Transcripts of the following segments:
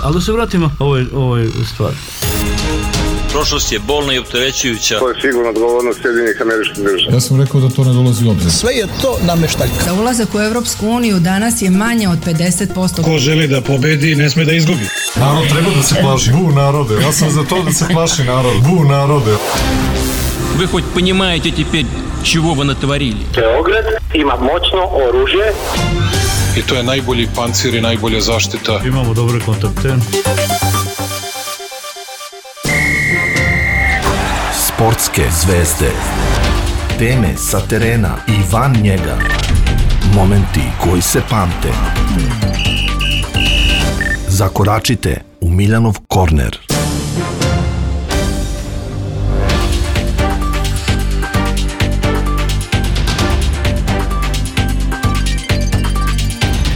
Ali da se vratimo ovoj stvari. Prošlost je bolna i opterećujuća. To je sigurno odgovornost Sjedinjenih Američkih Država. Ja sam rekao da to ne dolazi u obzir. Sve je to nameštaljka. Za ulazak u Evropsku uniju danas je manje od 50%. Ko želi da pobedi, ne sme da izgubi. Narod treba da se plaši. Bu narode. Ja sam za to da se plaši narod. Bu narode. Вы хоть понимаете теперь, чего вы натворили? Beograd ima moćno oružje. I to je najbolji pancir i najbolja zaštita. Imamo dobre kontakte. Sportske zvezde. Teme sa terena i van njega. Momenti koji se pamte. Zakoračite u Miljanov korner.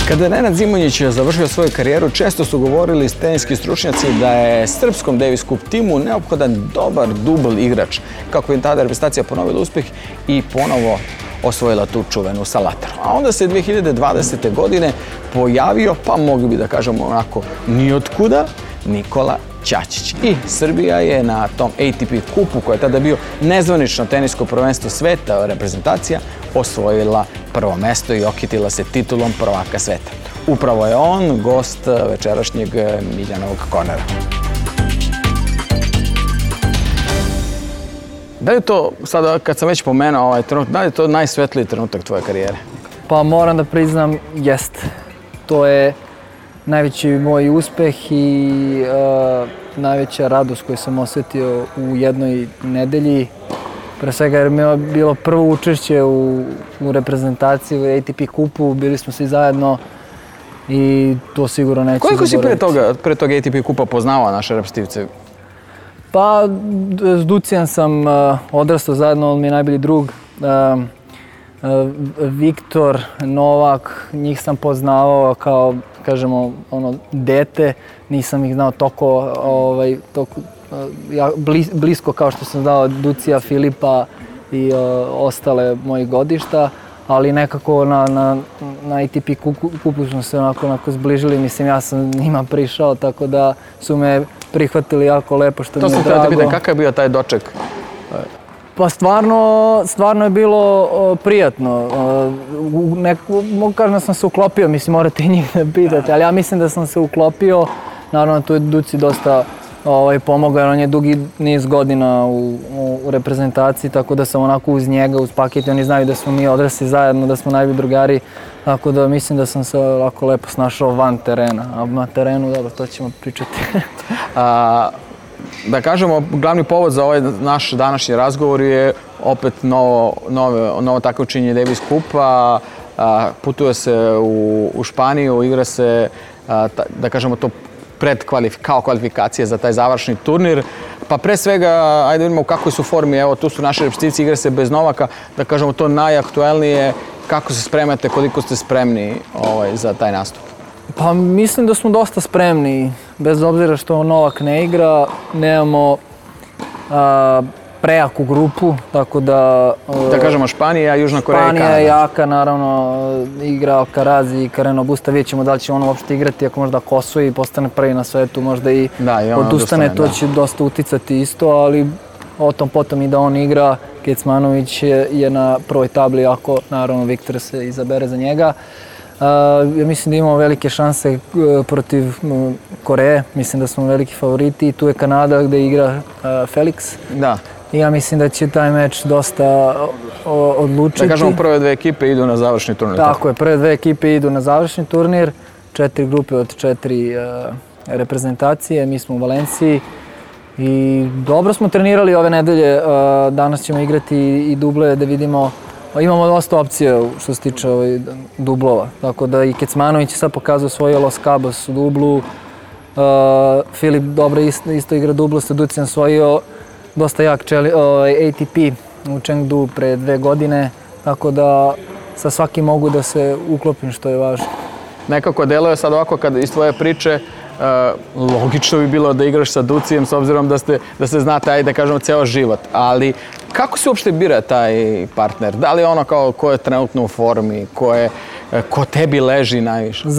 Kada je Nenad Zimonjić završio svoju karijeru, često su govorili teniski stručnjaci da je srpskom Davis Cup timu neophodan dobar dubl igrač, kako je tada reprezentacija ponovila uspeh i ponovo osvojila tu čuvenu sa Latarom. A onda se 2020. godine pojavio, pa mogli bi da kažemo onako nijotkuda, Nikola Ćaćić. I Srbija je na tom ATP kupu, koja je tada bio nezvanično tenisko prvenstvo sveta reprezentacija, osvojila prvo mesto i okitila se titulom prvaka sveta. Upravo je on gost večerašnjeg Miljanovog kornera. Da li je to, sada kad sam već pomenuo ovaj trenutak, da li je to najsvetliji trenutak tvoje karijere? Pa moram da priznam, jest. To je najveći moj uspeh i najveća radost koju sam osjetio u jednoj nedelji. Pre svega jer mi je bilo prvo učešće u reprezentaciji u ATP kupu, bili smo svi zajedno i to sigurno neću zaboraviti. Koliko si pre toga ATP kupa poznavao naše reprezentativce? Pa s Ducijan sam odrastao zajedno, on mi je najbolji drug. Viktor, Novak, njih sam poznavao kao, kažemo, dete. Nisam ih znao toliko blisko kao što sam znao Ducija, Filipa i ostale moji godišta, ali nekako na ATP kupu smo se onako zbližili. Mislim, ja sam njima prišao, tako da su me prihvatili jako lepo, što mi je drago. To sam htio da pitam, kakav je bio taj doček? Pa stvarno je bilo prijatno. Mogu kažem da sam se uklopio, mislim, morate i njih da pitate, ali ja mislim da sam se uklopio. Naravno, tu je Duci dosta pomogao, jer on je dugi niz godina u reprezentaciji, tako da sam onako uz njega, uz paket. Oni znaju da smo mi odrasli zajedno, da smo najbolji drugari, tako da mislim da sam se ovako lepo snašao van terena. A na terenu, dobro, to ćemo pričati. Da kažemo, glavni povod za ovaj naš današnji razgovor je opet novo takmičenje Davis Cupa. Putuje se u Španiju, igra se, da kažemo, to kao kvalifikacije za taj završni turnir. Pa pre svega, ajde vidimo u kakvoj su formi. Evo, tu su naše reprezentativci, igra se bez Novaka. Da kažemo, to najaktuelnije. Kako se spremate, koliko ste spremni za taj nastup? Pa mislim da smo dosta spremni, bez obzira što Novak ne igra, nemamo prejaku grupu, tako da... Da kažemo Španija, Južna Koreja i Kanada. Španija je jaka, naravno, igra Alcaraz i Carreno Busta, vidjet ćemo da li će on uopšte igrati, ako možda osvoji i postane prvi na svetu, možda i odustane, to će dosta uticati isto, ali o tom potom i da on igra. Kecmanović je na prvoj tabli, ako naravno Viktor se izabere za njega. Ja mislim da imamo velike šanse protiv Koreje, mislim da smo veliki favoriti. Tu je Kanada gdje igra Felix. Da. I ja mislim da će taj meč dosta odlučiti. Da kažemo, prve dve ekipe idu na završni turnir. Tako je, prve dve ekipe idu na završni turnir. 4 grupe od 4 reprezentacije, mi smo u Valenciji. I dobro smo trenirali ove nedelje, danas ćemo igrati i duble da vidimo. Imamo dosta opcija što se tiče dublova, tako da i Kecmanović je sad pokazao svoj Los Cabos u dublu. Filip dobro isto igra dublo, Ducijan svojio dosta jak ATP u Chengdu pre 2 godine, tako da sa svakim mogu da se uklopim, što je važno. Nekako deluje sad ovako kad iz tvoje priče, logično bi bilo da igraš sa Ducijem s obzirom da se znate, ajde da kažemo, ceo život, ali kako se uopšte bira taj partner? Da li je ono kao ko je trenutno u formi, ko je ko tebi leži najviše?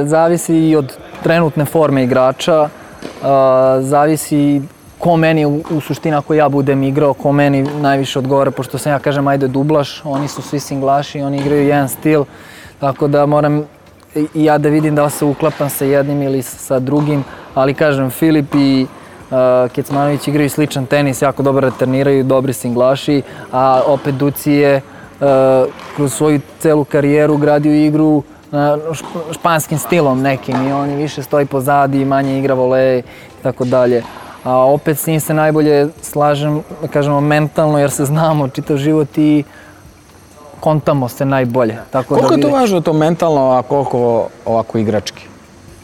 Zavisi i od trenutne forme igrača, zavisi ko meni u suštini ako ja budem igrao, ko meni najviše odgovara, pošto sam ja kažem ajde dublaš, oni su svi singlaši, oni igraju jedan stil, tako da moram i ja da vidim da li se uklapam sa jednim ili sa drugim, ali kažem Filip i Kecmanović igraju sličan tenis, jako dobro returniraju, dobri singlaši, a opet Duci je kroz svoju celu karijeru gradio igru španskim stilom nekim i on više stoji pozadi, manje igra vole i tako dalje. A opet s njim se najbolje slažem, da kažemo, mentalno, jer se znamo čitav život i kontamo se najbolje. Koliko je to važno to mentalno, a koliko ovako igrački?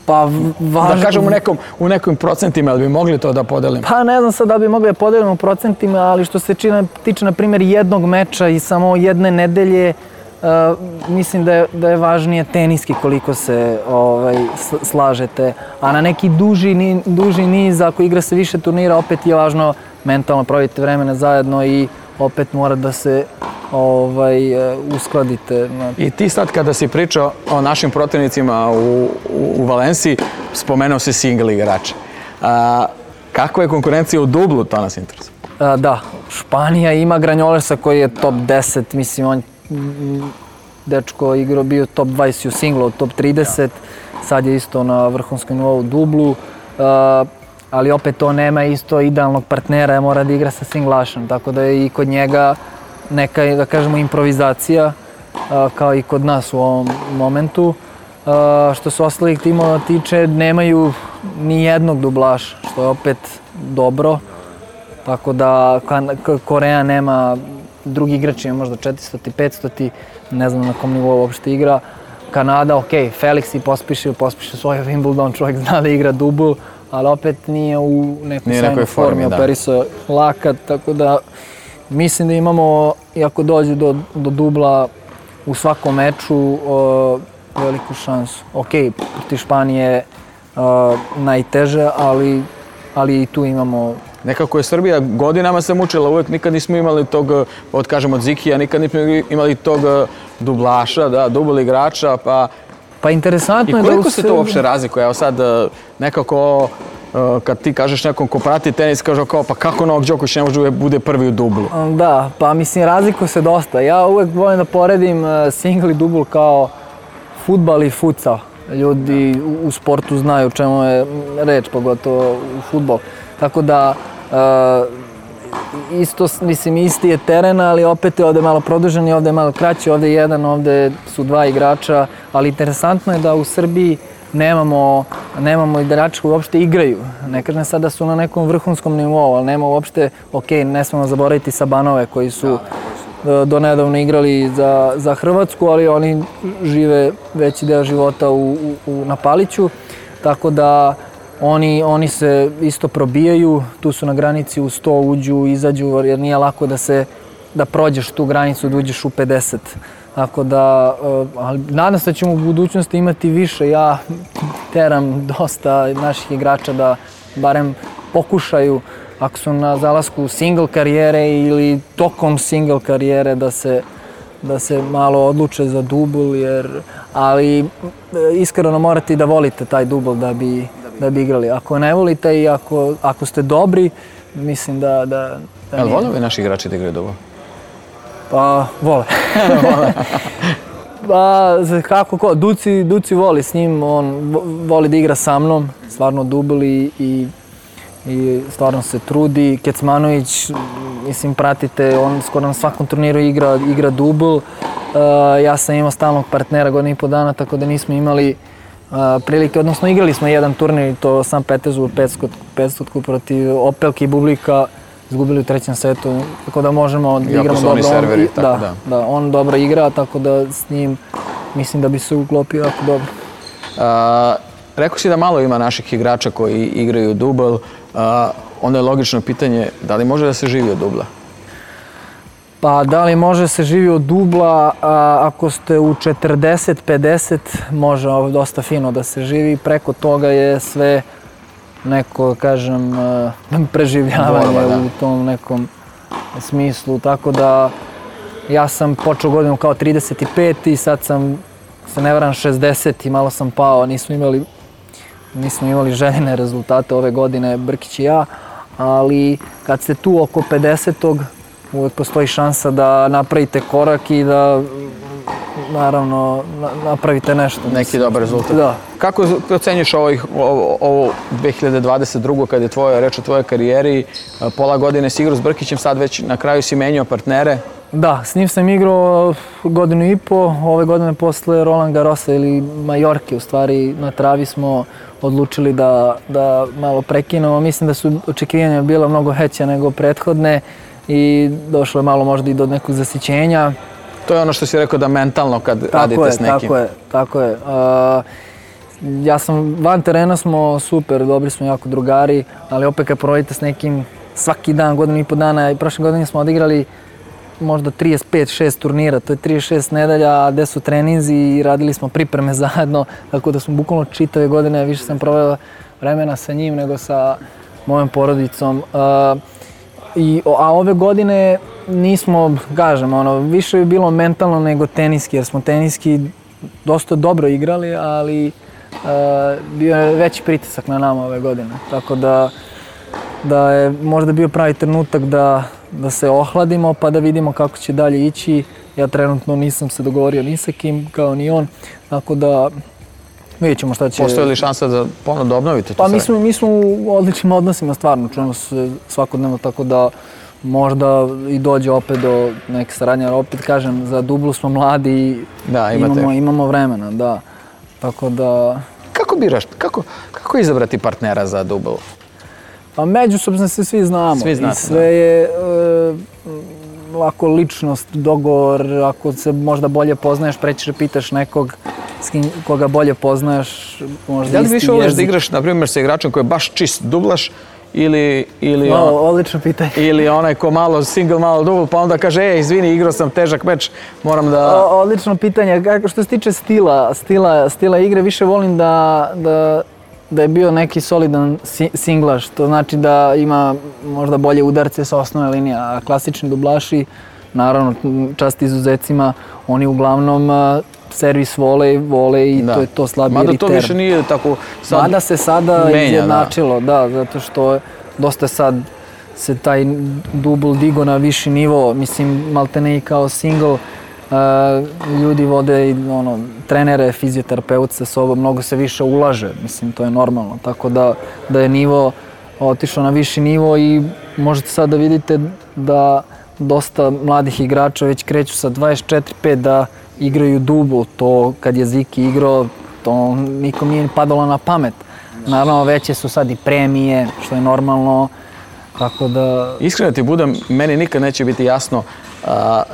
Pa važno... Da kažem u nekim procentima, ali bi mogli to da podelimo? Pa ne znam sad da bi mogli da podelimo u procentima, ali što se tiče, na primjer, jednog meča i samo jedne nedelje, mislim da je važnije teniski koliko se slažete, a na neki duži niz, ako igra se više turnira, opet je važno mentalno provodite vremena zajedno i opet mora da se uskladite. I ti sad kada si pričao o našim protivnicima u Valenciji, spomenuo si single igrače. Kakva je konkurencija u dublu, to nas interesuje? Da, Španija ima Granjolersa koji je top 10, mislim on dečko igrao bio top 20 u singlu, top 30, sad je isto na vrhunskom nivou u dublu, ali opet to nema isto idealnog partnera, mora da igra sa singlašem, tako da je i kod njega neka, da kažemo, improvizacija, kao i kod nas u ovom momentu. Što se ostalih timova tiče, nemaju ni jednog dublaša, što je opet dobro, tako da Koreja nema, drugi igrač ima možda 400, 500, ne znam na kom nivou uopšte igra. Kanada, ok, Felix i Pospišil svoj Wimbledon, čovjek zna da igra dubl, ali opet nije u nekoj sjajnoj formi, operisao lakat, tako da mislim da imamo, iako dođe do dubla u svakom meču, veliku šansu. Ok, protiv Španije najteže, ali i tu imamo... Nekako je Srbija godinama se mučila, uvek nikad nismo imali tog, od Zikija, nikad nismo imali tog dublaša, da, dubl igrača, pa interesantno je da... I koliko se to uopšte razlikuje? Evo sad nekako, kad ti kažeš nekom ko prati tenis, kaže kao pa kako Novak Đoković ne može bude prvi u dublu? Da, pa mislim razlikuje se dosta. Ja uvek volim da poredim single i dubl kao fudbal i futsal. Ljudi u sportu znaju o čemu je reč, pogotovo u fudbal. Tako da, isto, mislim, isti je teren, ali opet je ovde malo produžen i ovde je malo kraći, ovde je jedan, ovde su dva igrača, ali interesantno je da u Srbiji nemamo igrača koji uopšte igraju. Ne kažem sad da su na nekom vrhunskom nivou, ali nema uopšte, ok, ne smemo zaboraviti Sabanove koji su donedavno igrali za Hrvatsku, ali oni žive veći deo života na Paliću, tako da oni se isto probijaju, tu su na granici u 100, uđu, izađu, jer nije lako da prođeš tu granicu, da uđeš u 50. Tako da, nadam se da ćemo u budućnosti imati više. Ja teram dosta naših igrača da barem pokušaju, ako su na zalasku single karijere ili tokom single karijere, da se malo odluče za dubl, ali iskreno morate da volite taj dubl da bi igrali. Ako ne volite i ako ste dobri, mislim da Jel vole ovi naši igrači da igraju dubl? Pa, vole. Pa, kako ko, Duci voli s njim, on voli da igra sa mnom, stvarno dubl i stvarno se trudi. Kecmanović, mislim, pratite, on skoro na svakom turniru igra dubl. Ja sam imao stalnog partnera godinu i po dana, tako da nismo imali prilike, odnosno igrali smo jedan turnir, to San Petersburg 500 protiv Opelke i Bublika, izgubili u trećem setu, tako da možemo da igramo dobro. Iako su oni serveri, tako da. Da, on dobro igra, tako da s njim mislim da bi se uklopio jako dobro. Rekao si da malo ima naših igrača koji igraju dubl, onda je logično pitanje da li može da se živi od dubla? Pa da li može se živi od dubla, ako ste u 40-50 može dosta fino da se živi, preko toga je sve neko, kažem, preživljavanje u tom nekom smislu, tako da ja sam počeo godinu kao 35 i sad sam se ne varam 60 i malo sam pao, nismo imali željene rezultate ove godine, Brkić i ja, ali kad ste tu oko 50. uvijek postoji šansa da napravite korak i da naravno napravite nešto. Neki dobar rezultat. Da. Kako ocenjuješ ovo 2022. kad je reč o tvojoj karijeri, pola godine si igrao s Brkićem, sad već na kraju si menjao partnere? Da, s njim sam igrao godinu i po, ove godine posle Roland Garrosa ili Majorke, u stvari na travi smo odlučili da malo prekinemo. Mislim da su očekivanja bila mnogo veća nego prethodne i došlo je malo možda i do nekog zasićenja. To je ono što si rekao da mentalno kad radite s nekim. Tako je. Ja sam, van terena smo super, dobri smo jako drugari, ali opet kad provodite s nekim svaki dan, godinu i po dana, i prošle godine smo odigrali možda 35-6 turnira, to je 36 nedelja, gde su treninzi i radili smo pripreme zajedno, tako da smo bukvalno čitave godine, više sam proveo vremena sa njim nego sa mojom porodicom. A ove godine nismo, kažem, više je bilo mentalno nego teniski, jer smo teniski dosta dobro igrali, ali bio je veći pritisak na nama ove godine. Tako da je možda bio pravi trenutak da se ohladimo pa da vidimo kako će dalje ići. Ja trenutno nisam se dogovorio ni sa kim, kao ni on, tako da vidjet ćemo šta će... Postoji li šansa da ponovno obnovite to sve? Pa mi smo u odličnim odnosima, stvarno, čujemo se svakodnevno, tako da možda i dođe opet do neke saradnje, ali opet kažem, za dublu smo mladi i imamo vremena, da. Tako da... Kako biraš, kako izabrati partnera za dubl? Pa međusobno se svi znamo. I sve je ovako ličnost, dogovor, ako se možda bolje poznaješ, prećeš da pitaš nekog koga bolje poznaješ, možda isti jezik. Da li više voliš da igraš, na primjer, sa igračem koji je baš čist dublaš ili odlično pitanje. Ili onaj ko malo single, malo double, pa onda kaže, izvini, igrao sam težak meč, moram da... Odlično pitanje. Što se tiče stila igre, više volim da je bio neki solidan singlaš, to znači da ima možda bolje udarce sa osnovne linije, a klasični dublaši, naravno, čast izuzecima, oni uglavnom servis vole i to je to slabiji return. Mada to više nije tako sad... Mada se sada izjednačilo, da, zato što dosta sad se taj dubl digo na viši nivo, mislim, maltene i kao single, ljudi vode i trenere, fizioterapeut sa sobom, mnogo se više ulaže, mislim, to je normalno, tako da je nivo otišao na viši nivo i možete sad da vidite da dosta mladih igrača već kreću sa 24-5 da igraju dubl, to kad je Ziki igrao, to nikom nije padalo na pamet. Naravno, veće su sad i premije, što je normalno, tako da... Iskreno ti budem, meni nikad neće biti jasno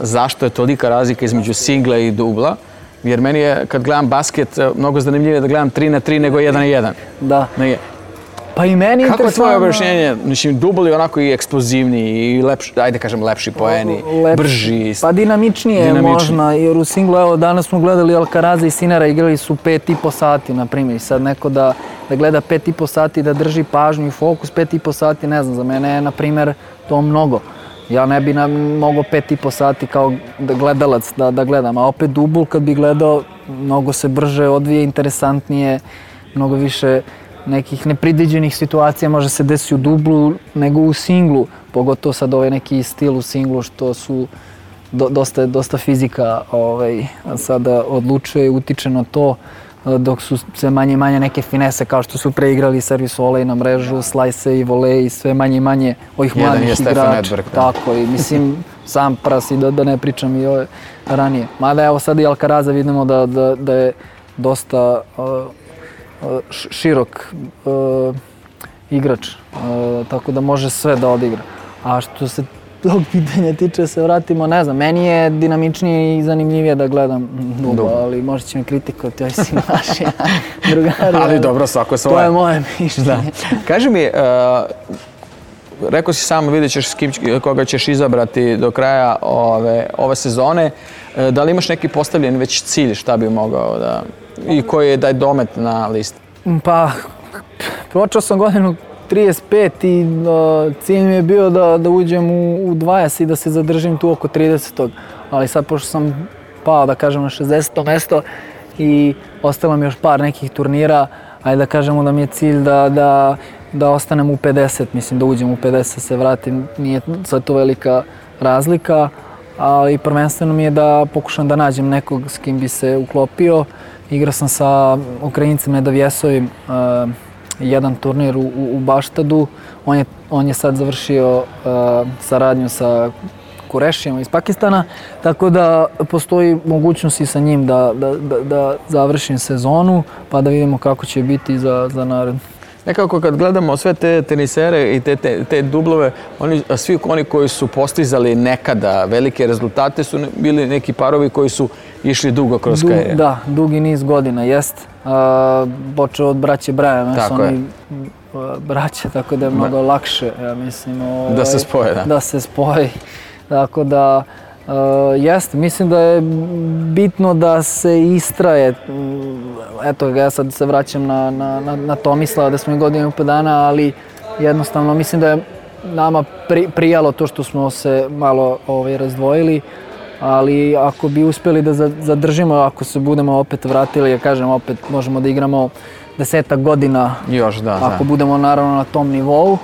zašto je tolika razlika između singla i dubla, jer meni je, kad gledam basket, mnogo zanimljivije da gledam 3-3 nego 1-1. Da. Pa i meni interesantno... Kako je tvoje objašnjenje? Mislim, dubl je onako i eksplozivniji i lepši, ajde kažem lepši poeni, brži. Pa dinamičnije možda, jer u singlu, evo danas smo gledali Alcaraza i Sinera, igrali su 5,5 sati, na primjer, i sad neko da gleda 5,5 sati, da drži pažnju i fokus 5,5 sati, ne znam, za mene je, na primjer, to mnogo. Ja ne bi mogao 5,5 sati kao gledalac da gledam, a opet dubl kad bi gledao, mnogo se brže odvije, interesantnije, mnogo više nekih nepredviđenih situacija može se desiti u dublu nego u singlu, pogotovo sad ovaj neki stil u singlu što su dosta fizika sada odlučuje i utiče na to, dok su sve manje i manje neke finese kao što su preigrali servis volej na mrežu, slajse i volej i sve manje i manje ovih mladih igrača. Tako i mislim sam prasi da ne pričam i ove ranije. Mada evo sad i Alcaraza vidimo da je dosta širok igrač, tako da može sve da odigra. A što se tog pitanja tiče, se vratimo, ne znam, meni je dinamičnije i zanimljivije da gledam dubl, ali možda će me kritikovati, oj si naši drugari. Ali dobro, svako svoje. To je moje mišljenje. Kaži mi, rekao si samo, vidjet ćeš koga ćeš izabrati do kraja ove sezone. Da li imaš neki postavljen već cilj šta bi mogao da... I koji je daj domet na listi? Pa, počeo sam godinu 35 i cilj mi je bio da uđem u 20 i da se zadržim tu oko 30. Ali sad, pošto sam pao, da kažem, na 60. mesto, i ostalo mi još par nekih turnira, ajde da kažemo da mi je cilj da ostanem u 50, mislim da uđem u 50, se vratim, nije sad to velika razlika, ali prvenstveno mi je da pokušam da nađem nekog s kim bi se uklopio. Igrao sam sa Ukrajincem Nedavjesovim jedan turnir u Baštadu, on je sad završio saradnju sa Kurešijom iz Pakistana, tako da postoji mogućnost i sa njim da završim sezonu, pa da vidimo kako će biti za naredno. Nekako kad gledamo sve te tenisere i te dublove, svi oni koji su postizali nekada velike rezultate su bili neki parovi koji su išli dugo kroz karijeru. Da, dugi niz godina, jest. Počeo od braće Braja, su oni braće, tako da je mnogo lakše, ja mislim. Da se spoje, da. Da se spoje, tako da jeste, mislim da je bitno da se istraje. Eto, ja sad se vraćam na Tomislava, da smo i godinu i po dana, ali jednostavno mislim da je nama prijalo to što smo se malo razdvojili, ali ako bi uspjeli da zadržimo, ako se budemo opet vratili, ja kažem, opet možemo da igramo 10 godina, još, da, ako budemo naravno na tom nivou,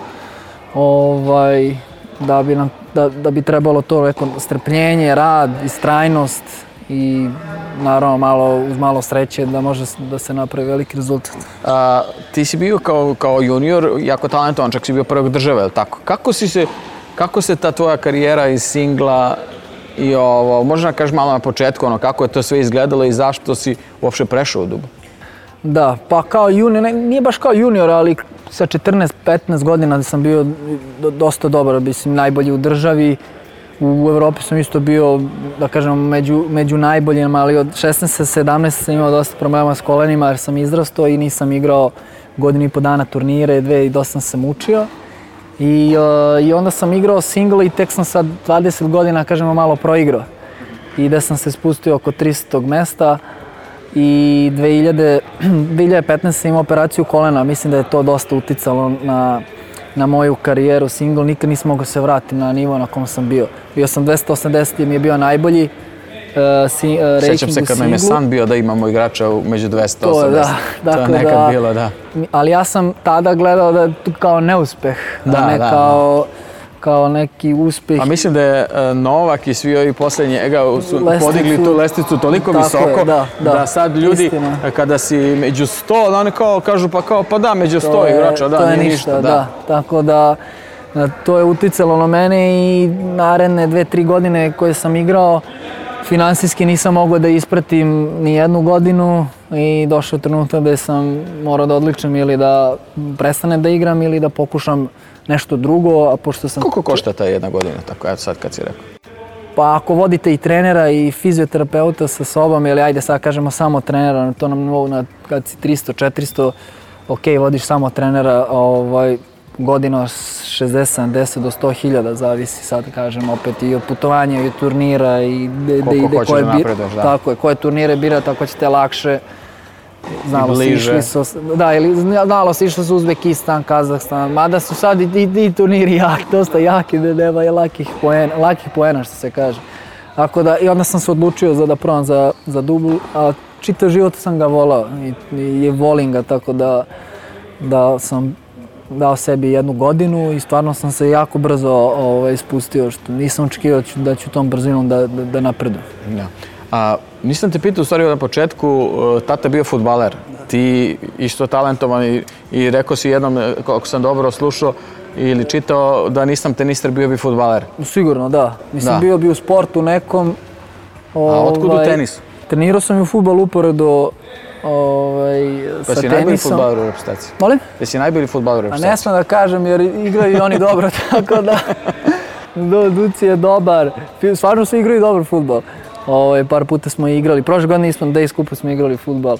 da bi trebalo to neko strpljenje, rad, istrajnost i naravno uz malo sreće da može da se napravi veliki rezultat. Ti si bio kao junior jako talentovan, čak si bio prvog države, je li tako? Kako se ta tvoja karijera iz singla i možda kažeš malo na početku, kako je to sve izgledalo i zašto si uopšte prešao u dubl? Da, pa kao junior, nije baš kao junior, ali sa 14-15 godina sam bio dosta dobar, mislim, najbolji u državi. U Evropi sam isto bio, da kažem, među najboljima, ali od 16-17 sam imao dosta problema s kolenima jer sam izrastao i nisam igrao godinu i po dana turnire, 2 i dosta sam učio. I onda sam igrao single i tek sam sa 20 godina, kažemo, malo proigrao. I da sam se spustio oko 300. mesta. I 2015 sam imao operaciju kolena, mislim da je to dosta uticalo na moju karijeru single, nikad nisam mogao se vratiti na nivo na kom sam bio. Bio sam 280, mi je bio najbolji ranking u singlu. Sjećam se kad nam je san bio da imamo igrača među 280. To je nekad bilo, da. Ali ja sam tada gledao da je to kao neuspeh, ne kao neki uspjeh. A mislim da je Novak i svi ovi poslije njega su podigli tu lestvicu toliko visoko da sad ljudi kada si među 100, oni kao kažu pa da, među 100 igrača, da, nije ništa. Da. Tako da to je uticalo na mene i naredne 2-3 godine koje sam igrao, finansijski nisam mogao da ispratim ni jednu godinu i došao trenutak da sam morao da odličem ili da prestanem da igram ili da pokušam nešto drugo, a pošto sam... Koliko košta ta jedna godina, tako evo sad kad si rekao? Pa ako vodite i trenera i fizioterapeuta sa sobom, ili ajde sad kažemo samo trenera, to nam nivou kad si 300-400, ok, vodiš samo trenera, godina 60-70 do 100.000, zavisi sad kažem opet i od putovanja i od turnira i koliko hoćeš da napreduješ, da. Tako je, koje turnire bira, tako ćete lakše. Znalo se išlo su Uzbekistan, Kazahstan, mada su sad i turniri dosta jaki, nema je lakih poena što se kaže. I onda sam se odlučio da probam za dubl, a čitav život sam ga volao i volim ga, tako da sam dao sebi jednu godinu i stvarno sam se jako brzo ispustio, što nisam očekivao da ću tom brzinom da napredujem. Nisam te pitao u stvari na početku, tata bio fudbaler, ti isto talentovan i rekao si jednom, ako sam dobro slušao ili čitao, da nisam tenister, bio bi fudbaler. Sigurno, da. Mislim, bio bi u sportu nekom. A otkud u tenisu? Trenirao sam i u fudbal uporedo sa tenisom. Pa si najbolji fudbaler u reprezentaciji? Molim? Jesi najbolji fudbaler u reprezentaciji? A ne smem da kažem jer igraju i oni dobro, tako da Duci je dobar. Stvarno su igraju dobar fudbal. Par puta smo igrali, prošle godine nismo, da iskupo smo igrali fudbal,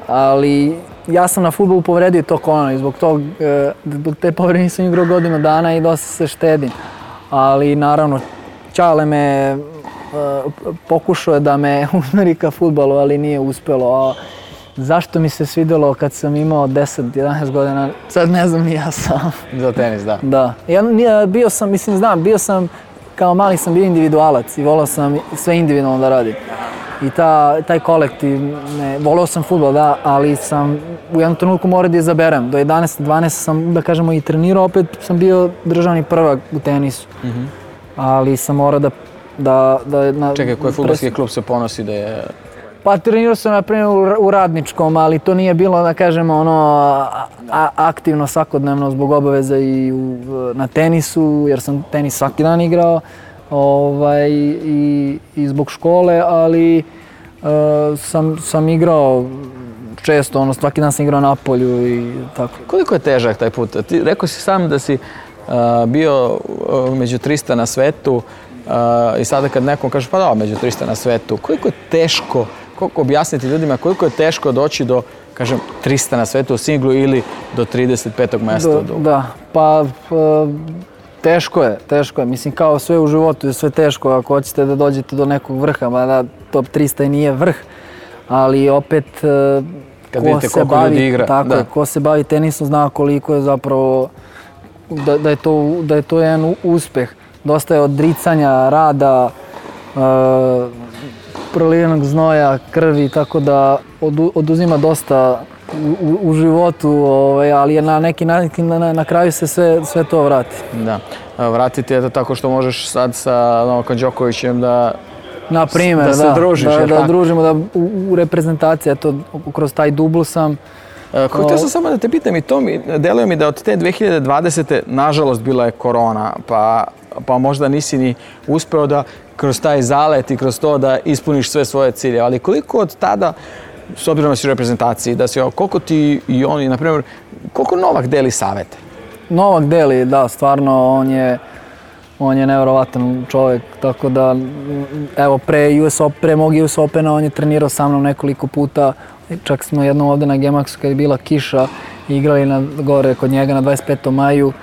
ali ja sam na fudbalu povredio to koleno i zbog te povrede nisam igrao godinu dana i dosta se štedim. Ali naravno, Čale me pokušao je da me usmeri ka fudbalu, ali nije uspjelo. Zašto mi se svidjelo kad sam imao 10-11 godina, sad ne znam ni ja sam. Za tenis, da. Da. Bio sam, kao mali sam bio individualac i volao sam sve individualno da radim. i taj kolektiv, voleo sam fudbal, da, ali sam u jednom trenutku morao da izaberem. Do 11-12 sam, da kažemo, i trenirao, opet sam bio državni prvak u tenisu. Ali sam morao da Čekaj, koji fudbalski klub se ponosi da je... Pa trenirao sam, na primjer, u Radničkom, ali to nije bilo, da kažemo, aktivno svakodnevno zbog obaveza i na tenisu, jer sam tenis svaki dan igrao i zbog škole, ali sam igrao često, svaki dan sam igrao na polju i tako. Koliko je težak taj put? Ti rekao si sam da si bio među 300 na svetu i sada kad nekom kaže pa da, među 300 na svetu, koliko je teško, koliko objasniti ljudima koliko je teško doći do, kažem, 300 na svetu u singlu ili do 35. mjesta? Da, pa teško je. Mislim, kao sve u životu je sve teško ako hoćete da dođete do nekog vrha, mada top 300 i nije vrh, ali opet kad vidite koliko ljudi igra. Tako je, ko se bavi tenisom zna koliko je zapravo, da je to jedan uspeh. Dosta je odricanja, rada, prolivenog znoja, krvi, tako da oduzima dosta u životu, ali je na neki način na kraju se sve to vrati. Da, vratiti je to tako što možeš sad sa Novakom Đokovićem da se družiš. Da družimo, da u reprezentaciji, eto, kroz taj dubl sam. Htio sam samo da te pitam i to deluje mi da od te 2020. nažalost bila je korona, pa možda nisi ni uspeo da kroz taj zalet i kroz to da ispuniš sve svoje cilje, ali koliko od tada, s obzirom da si u reprezentaciji, koliko ti i oni, na primjer, koliko Novak deli savete? Novak deli, da, stvarno, on je nevjerovatan čovjek, tako da, evo, pre mog US Opena on je trenirao sa mnom nekoliko puta, čak smo jednom ovdje na Gemaxu kad je bila kiša igrali gore kod njega na 25. maju,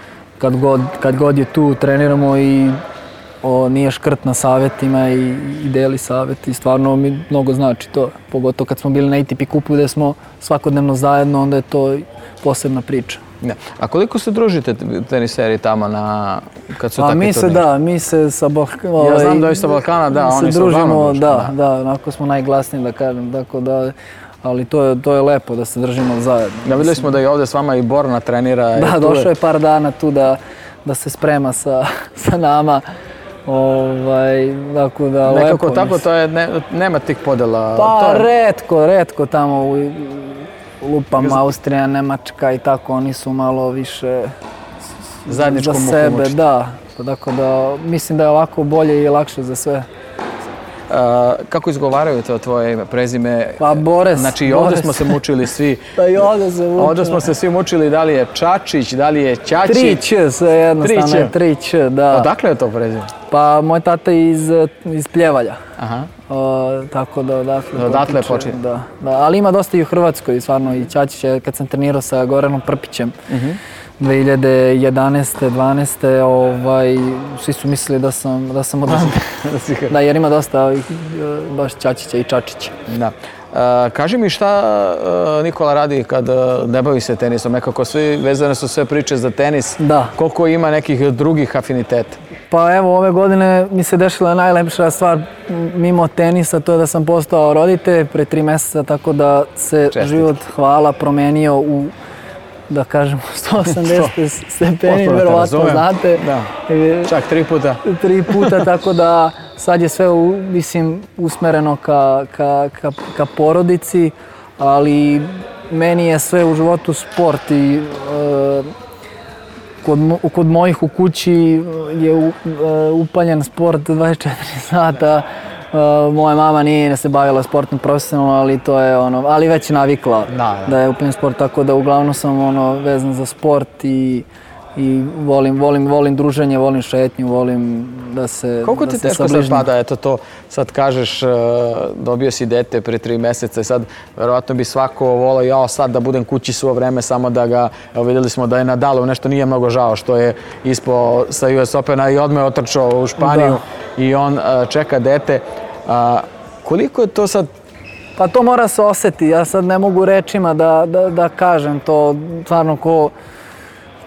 kad god je tu treniramo i nije škrt na savjetima i deli savjet i stvarno mi mnogo znači to, pogotovo kad smo bili na ATP kupu gdje smo svakodnevno zajedno, onda je to posebna priča. Ne. A koliko se družite teniseri tamo kad su takvi turniri? Mi se sa Balkana... Ja znam da je sa Balkana, da, oni se družimo. Da, onako smo najglasniji, da kažem, tako da... Ali to je lepo da se držimo zajedno. Da, vidjeli smo da je ovdje s vama i Borna trenira. Da, došao je par dana tu da se sprema sa nama. Tako da lepo. Nekako tako, to je, nema tih podjela. Pa retko tamo u lupama Austrija, Nemačka i tako, oni su malo više za sebe. Da, tako da mislim da je ovako bolje i lakše za sve. Kako izgovaraju to tvoje ime, prezime? Pa Boris. Znači i ovdje smo se mučili svi. Pa i ovdje se mučili. Ovdje smo se svi mučili da li je Čačić, da li je Ćaći. 3Ć, sve jednostavno je 3Ć, da. Odakle je to prezime? Pa moj tata je iz Pljevalja. Aha. Tako da odatle je počeo. Da, ali ima dosta i u Hrvatskoj, stvarno i Ćačić je kad sam trenirao sa Goranom Prpićem. 2011. 12. Svi su mislili da sam odličan. Da, jer ima dosta baš Ćačića i Čačića. Da. Kaži mi šta Nikola radi kad ne bavi se tenisom? Nekako vezane su sve priče za tenis. Da. Koliko ima nekih drugih afiniteta? Pa evo, ove godine mi se dešila najlepša stvar mimo tenisa, to je da sam postao roditelj pre 3 mjeseca, tako da se život, hvala, promenio u, da kažemo, 180 stepeni, verovatno znate. Da, čak 3 puta. 3 puta, tako da sad je sve, mislim, usmereno ka porodici, ali meni je sve u životu sport i kod mojih u kući je upaljen sport 24 sata. Moja mama nije se bavila sportom profesionalno, ali to je ali već navikla da je upaljen sport, tako da uglavnom sam vezan za sport i volim druženje, volim šetnju, volim da se Koliko ti teško sad pada, eto to, sad kažeš, dobio si dete pre 3 mjeseca i sad verovatno bi svako volao sad da budem kući svo vreme, samo da ga, evo vidjeli smo da je Nadalu nešto nije mnogo žao što je ispao sa US Opena i odmah je otrčao u Španiju i on čeka dete. Koliko je to sad? Pa to mora se osjeti, ja sad ne mogu rečima da kažem to, stvarno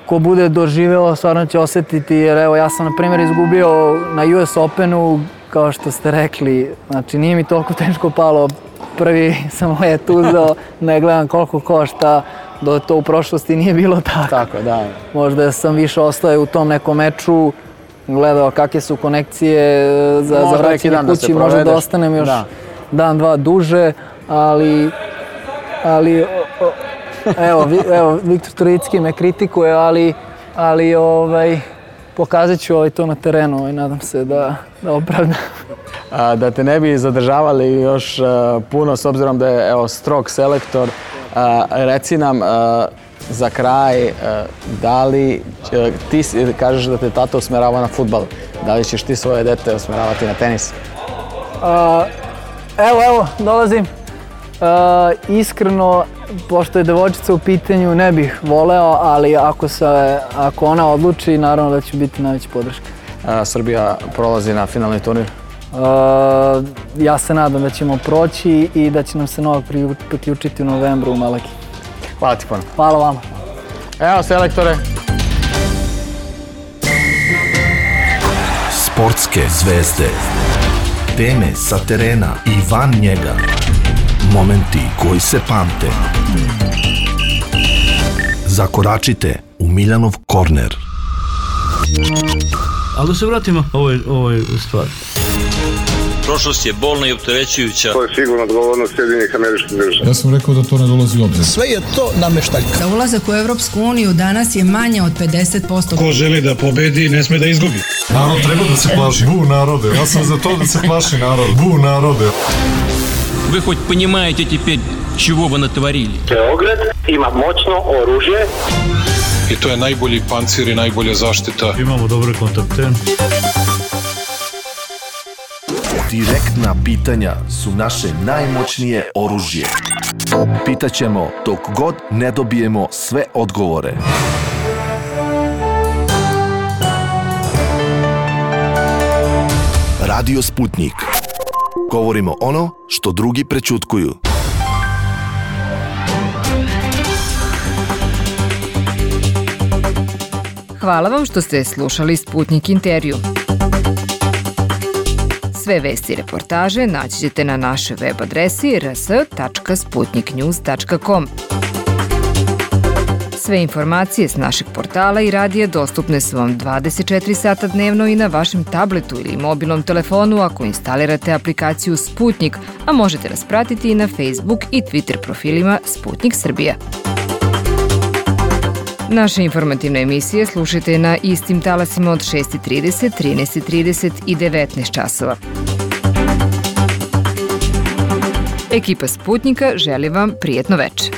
ko bude doživeo, stvarno će osjetiti, jer evo ja sam na primjer izgubio na US Openu kao što ste rekli, znači nije mi toliko teško palo. Prvi sam let uzeo, ne gledam koliko košta, do to u prošlosti nije bilo tako. Tako, da. Možda sam više ostao u tom nekom meču, gledao kakve su konekcije za vraćanje kući, možda da ostanem još dan, dva duže, ali evo, Viktor Turicki me kritikuje, ali pokazat ću to na terenu i nadam se da opravdam. Da te ne bi zadržavali još puno, s obzirom da je strog selektor, reci nam za kraj, da li ti kažeš da te tata usmerava na fudbal, da li ćeš ti svoje dete usmeravati na tenis? Evo, dolazim. Iskreno, pošto je devojčica u pitanju, ne bih voleo, ali ako ona odluči, naravno da će biti najveća podrška. Srbija prolazi na finalni turnir? Ja se nadam da ćemo proći i da će nam se Novak priključiti u novembru u Malaki. Hvala ti puno. Hvala vama. Evo, selektore. Sportske zvezde. Teme sa terena i van njega. Momenti koji se pamte. Zakoračite u Miljanov korner. Ali da se vratimo ovoj stvari. Prošlost je bolna i opterećujuća. To je sigurno odgovornost Sjedinjenih Američkih Država. Ja sam rekao da to ne dolazi u obzir. Sve je to nameštaljka. Za ulazak u Evropsku uniju danas je manje od 50%. Ko želi da pobedi, ne sme da izgubi. Narod treba da se plaši. Bu narode. Ja sam za to da se plaši narod. Bu narode. Вы хоть понимаете теперь, чего вы натворили? Beograd ima moćno oružje. I to je najbolji pancir i najbolja zaštita. Imamo dobre kontakte. Direktna pitanja su naše najmoćnije oružje. Pitaćemo dok god ne dobijemo sve odgovore. Radio Sputnik. Govorimo ono što drugi prećutkuju. Hvala vam što ste slušali Sputnik intervju. Sve vesti i reportaže naći ćete na našoj web adresi rs.sputniknews.com. Sve informacije s našeg portala i radija dostupne su vam 24 sata dnevno i na vašem tabletu ili mobilnom telefonu ako instalirate aplikaciju Sputnik, a možete nas pratiti i na Facebook i Twitter profilima Sputnik Srbija. Naše informativne emisije slušajte na istim talasima od 6:30, 13:30 i 19 časova. Ekipa Sputnika želi vam prijetno večer.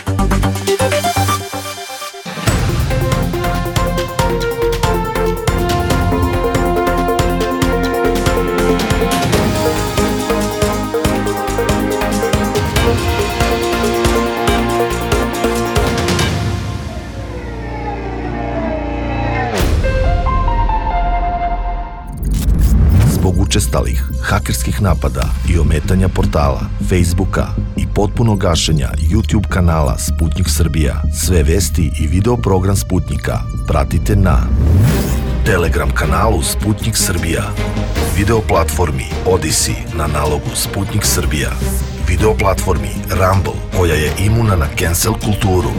Učestalih hakerskih napada i ometanja portala, Facebooka i potpuno gašenja YouTube kanala Sputnik Srbija, sve vesti i video program Sputnika pratite na Telegram kanalu Sputnik Srbija, video platformi Odyssey na nalogu Sputnik Srbija, video platformi Rumble koja je imuna na cancel kulturu.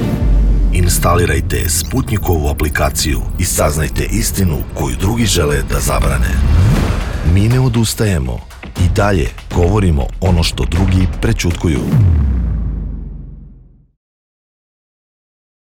Instalirajte Sputnikovu aplikaciju i saznajte istinu koju drugi žele da zabrane. Mi ne odustajemo i dalje govorimo ono što drugi prećutkuju.